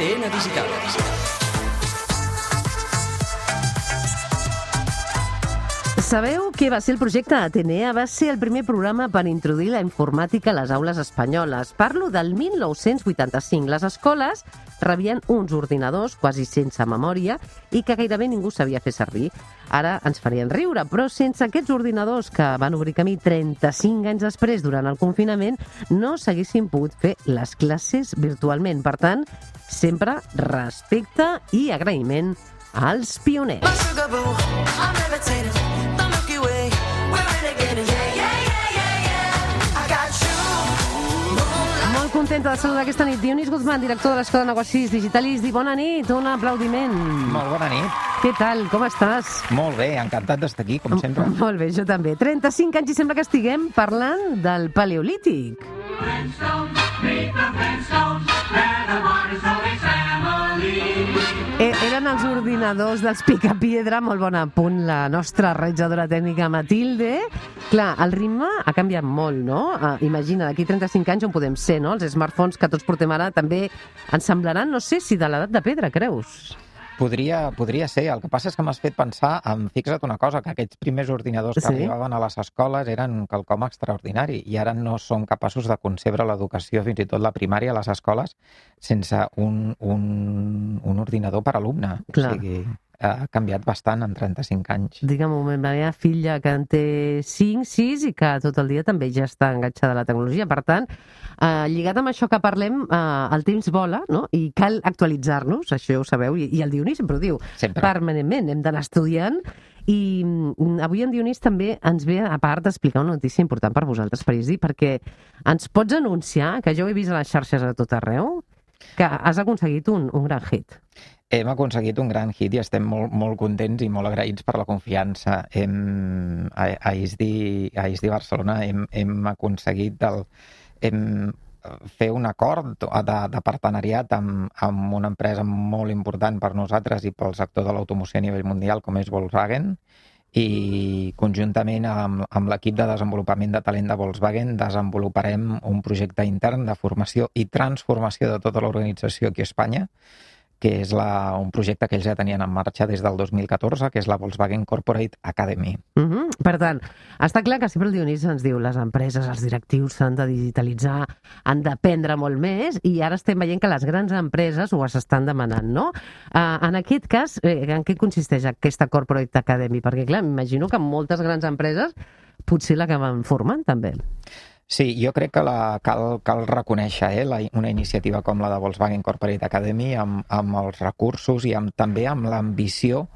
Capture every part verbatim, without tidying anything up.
A T N Digital. Sabeu què va ser el projecte Atenea? Va ser el primer programa per introduir la informàtica a les aules espanyoles. Parlo del mil nou-cents vuitanta-cinc. Les escoles rebien uns ordinadors quasi sense memòria i que gairebé ningú sabia fer servir. Ara ens farien riure, però sense aquests ordinadors que van obrir camí trenta-cinc anys després, durant el confinament, no s'haguessin pogut fer les classes virtualment. Per tant, sempre respecte i agraïment als pioners. Molt contenta de saludar aquesta nit Dionís Guzmán, director de l'Escola de Negocis Digitalis. Di bona nit, un aplaudiment. Molt bona nit. Què tal, com estàs? Molt bé, encantat d'estar aquí, com sempre. Molt bé, jo també. trenta-cinc anys i sembla que estiguem parlant del Paleolític. Eh, eren els ordinadors dels Picapiedra, molt bon apunt, la nostra realitzadora tècnica Matilde. Clar, el ritme ha canviat molt, no? Uh, imagina, d'aquí trenta-cinc anys on podem ser, no? Els smartphones que tots portem ara també ens semblaran, no sé si de l'edat de pedra, creus? Podria, podria ser. El que passa és que m'has fet pensar, en, fixa't una cosa, que aquests primers ordinadors que sí. arribaven a les escoles eren quelcom extraordinari i ara no són capaços de concebre l'educació, fins i tot la primària a les escoles, sense un, un, un ordinador per alumne. Clar. O sigui, ha canviat bastant en trenta-cinc anys. Digue'm un moment, la meva filla que en té cinc, sis i que tot el dia també ja està enganxada a la tecnologia. Per tant, eh, lligat amb això que parlem, eh, el temps vola, no? I cal actualitzar-nos, això ho sabeu, i, i el Dionís sempre ho diu, Sempre. permanentment, hem d'anar estudiant. I mm, avui en Dionís també ens ve, a part d'explicar una notícia important per vosaltres, Parisi, perquè ens pots anunciar, que jo ho he vist a les xarxes a tot arreu, que has aconseguit un, un gran hit. Hem aconseguit un gran hit i estem molt, molt contents i molt agraïts per la confiança. Hem, a, a I S D I, a I S D I Barcelona hem, hem aconseguit el, hem, fer un acord de, de partenariat amb, amb una empresa molt important per nosaltres i pel sector de l'automoció a nivell mundial, com és Volkswagen, i conjuntament amb, amb l'equip de desenvolupament de talent de Volkswagen desenvoluparem un projecte intern de formació i transformació de tota l'organització aquí a Espanya, que és la, un projecte que ells ja tenien en marxa des del dos mil catorze, que és la Volkswagen Corporate Academy. Uh -huh. Per tant, està clar que sempre el Dionís ens diu les empreses, els directius s'han de digitalitzar, han d'aprendre molt més, i ara estem veient que les grans empreses ho estan demanant, no? Uh, en aquest cas, eh, en què consisteix aquesta Corporate Academy? Perquè, clar, m'imagino que moltes grans empreses potser l'acaben formant, també. Sí, jo crec que la, cal, cal reconèixer eh, la, una iniciativa com la de Volkswagen Corporate Academy amb, amb els recursos i amb, també amb l'ambició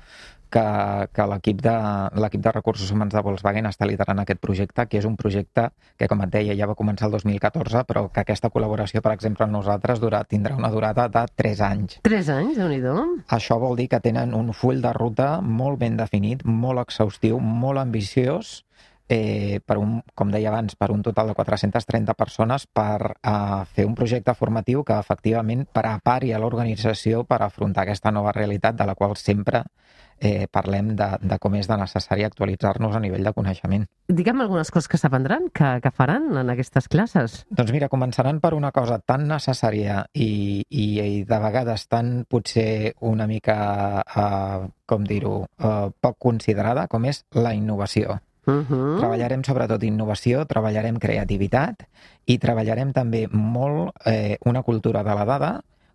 que, que l'equip de, l'equip de recursos humans de Volkswagen està liderant aquest projecte, que és un projecte que, com et deia, ja va començar el dos mil catorze, però que aquesta col·laboració, per exemple, amb nosaltres dura, tindrà una durada de tres anys. Tres anys, Déu-n'hi-do. Això vol dir que tenen un full de ruta molt ben definit, molt exhaustiu, molt ambiciós, Eh, per un, com deia abans, per un total de quatre-centes trenta persones per eh, fer un projecte formatiu que efectivament prepari a l'organització per afrontar aquesta nova realitat de la qual sempre eh, parlem de, de com és de necessari actualitzar-nos a nivell de coneixement. Digue'm algunes coses que s'aprendran, que, que faran en aquestes classes. Doncs mira, començaran per una cosa tan necessària i, i, i de vegades tan potser una mica, eh, com dir-ho, eh, poc considerada, com és la innovació. Uh-huh. Treballarem sobretot innovació, treballarem creativitat i treballarem també molt eh, una cultura de la dada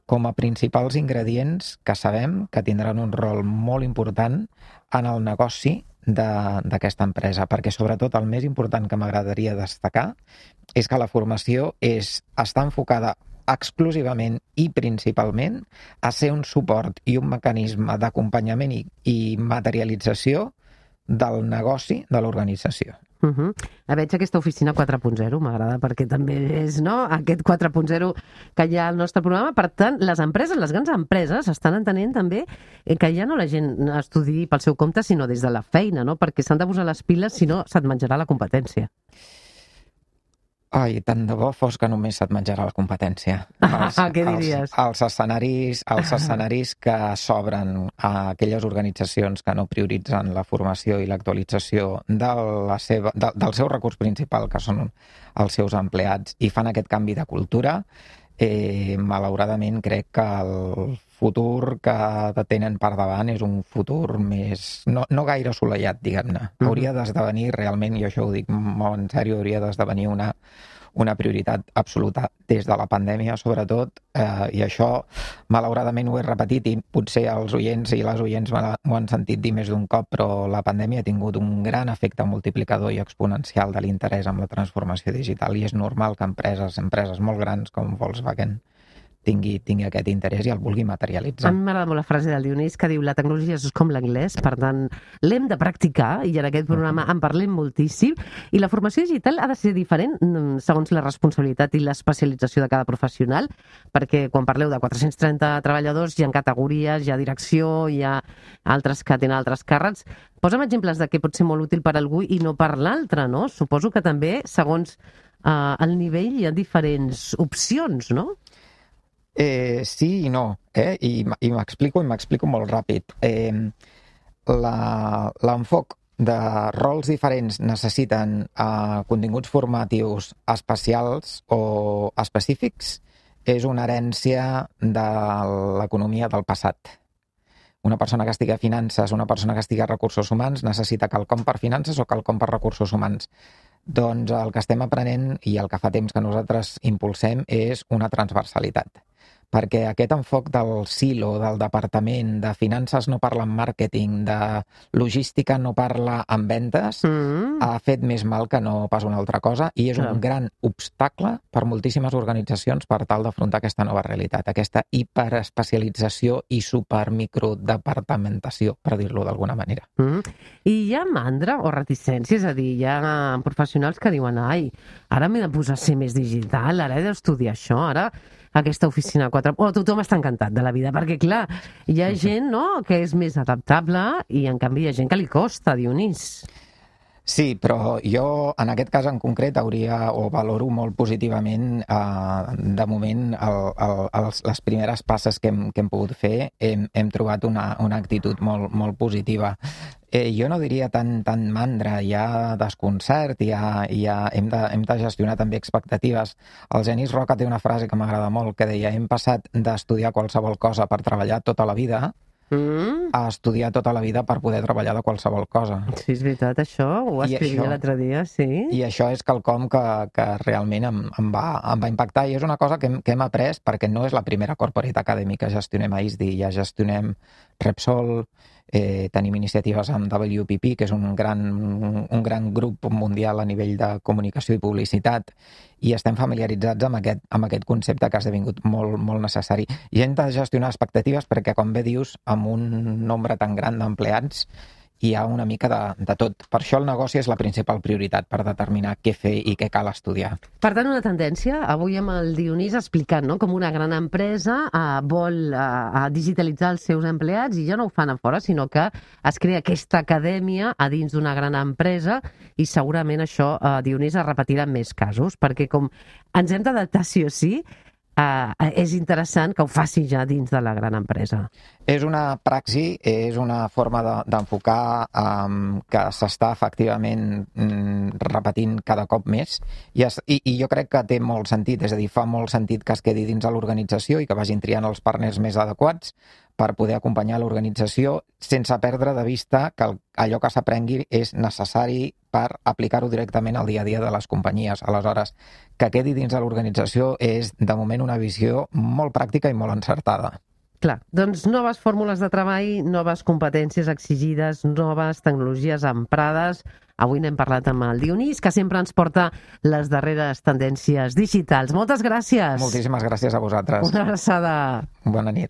com a principals ingredients que sabem que tindran un rol molt important en el negoci d'aquesta empresa, perquè sobretot el més important que m'agradaria destacar és que la formació és, està enfocada exclusivament i principalment a ser un suport i un mecanisme d'acompanyament i, i materialització del negoci de l'organització. Uh -huh. Veig aquesta oficina quatre punt zero, m'agrada, perquè també és, no?, aquest quatre punt zero que hi ha al nostre programa. Per tant, les empreses, les grans empreses, estan entenent també que ja no la gent estudi pel seu compte, sinó des de la feina, no?, perquè s'han de posar les piles, si no se't menjarà la competència. Ai, tant de bo fos que només se't menjarà la competència. Els, ah, què diries? Els, els escenaris, els escenaris que s'obren a aquelles organitzacions que no prioritzen la formació i l'actualització de la seva, de, del seu recurs principal, que són els seus empleats, i fan aquest canvi de cultura, eh, malauradament crec que el futur que tenen per davant és un futur més... no, no gaire assolellat, diguem-ne. Mm-hmm. Hauria d'esdevenir realment, i això ho dic molt en sèrio, hauria d'esdevenir una, una prioritat absoluta des de la pandèmia, sobretot, eh, i això, malauradament, ho he repetit, i potser els oients i les oients m'ho han sentit dir més d'un cop, però la pandèmia ha tingut un gran efecte multiplicador i exponencial de l'interès en la transformació digital, i és normal que empreses, empreses molt grans com Volkswagen tingui, tingui aquest interès i el vulgui materialitzar. A mi m'agrada molt la frase del Dionís que diu la tecnologia és com l'anglès, per tant, l'hem de practicar i en aquest programa en parlem moltíssim. I la formació digital ha de ser diferent segons la responsabilitat i l'especialització de cada professional, perquè quan parleu de quatre-cents trenta treballadors hi ha categories, hi ha direcció, hi ha altres que tenen altres càrrecs. Posa'm exemples de què pot ser molt útil per a algú i no per l'altre, no? Suposo que també, segons eh, el nivell, hi ha diferents opcions, no? Eh, sí i no, eh? I, i m'explico i m'explico molt ràpid. Eh, l'enfoc de rols diferents necessiten eh, continguts formatius especials o específics és una herència de l'economia del passat. Una persona que estigui a finances, una persona que estigui a recursos humans necessita quelcom per finances o quelcom per recursos humans. Doncs el que estem aprenent i el que fa temps que nosaltres impulsem és una transversalitat. Perquè aquest enfoc del silo, del departament, de finances no parla en màrqueting, de logística no parla en ventes, mm. ha fet més mal que no pas una altra cosa i és un gran obstacle per moltíssimes organitzacions per tal d'afrontar aquesta nova realitat, aquesta hiperespecialització i supermicrodepartamentació, per dir-lo d'alguna manera. Mm. I hi ha mandra o reticència? És a dir, hi ha professionals que diuen ai, ara m'he de posar a ser més digital, ara he d'estudiar això, ara aquesta oficina quatre... Oh, tothom està encantat de la vida, perquè, clar, hi ha gent, no?, que és més adaptable i, en canvi, hi ha gent que li costa, Dionís. Sí, però jo, en aquest cas en concret, hauria o valoro molt positivament, eh, de moment, el, el, els, les primeres passes que hem, que hem pogut fer, hem, hem trobat una, una actitud molt, molt positiva. Eh, jo no diria tant, tant mandra, hi ha desconcert, hi ha, hi ha, hem, de, hem de gestionar també expectatives. El Genís Roca té una frase que m'agrada molt, que deia hem passat d'estudiar qualsevol cosa per treballar tota la vida mm. a estudiar tota la vida per poder treballar de qualsevol cosa. Sí, és veritat, això, ho escrivia l'altre dia, sí. I això és quelcom que, que realment em, em, va, em va impactar i és una cosa que hem, que hem après perquè no és la primera corporate academy que gestionem a I S D I, ja gestionem Repsol, Eh, tenim iniciatives amb W P P, que és un gran, un gran grup mundial a nivell de comunicació i publicitat, i estem familiaritzats amb aquest, amb aquest concepte que ha esdevingut molt, molt necessari. I hem de gestionar expectatives perquè, com bé dius, amb un nombre tan gran d'empleats, hi ha una mica de, de tot. Per això el negoci és la principal prioritat per determinar què fer i què cal estudiar. Per tant, una tendència, avui amb el Dionís explicant, no?, com una gran empresa eh, vol eh, digitalitzar els seus empleats i ja no ho fan a fora, sinó que es crea aquesta acadèmia a dins d'una gran empresa i segurament això, eh, Dionís, es repetirà en més casos, perquè com ens hem d'adaptar sí o sí, Uh, és interessant que ho faci ja dins de la gran empresa. És una praxi, és una forma d'enfocar de, um, que s'està efectivament um, repetint cada cop més I, es, i, i jo crec que té molt sentit, és a dir, fa molt sentit que es quedi dins de l'organització i que vagin triant els partners més adequats per poder acompanyar l'organització sense perdre de vista que el, allò que s'aprengui és necessari per aplicar-ho directament al dia a dia de les companyies. Aleshores, que quedi dins de l'organització és, de moment, una visió molt pràctica i molt encertada. Clar, doncs noves fórmules de treball, noves competències exigides, noves tecnologies emprades. Avui n'hem parlat amb el Dionís, que sempre ens porta les darreres tendències digitals. Moltes gràcies. Moltíssimes gràcies a vosaltres. Una abraçada. Bona nit.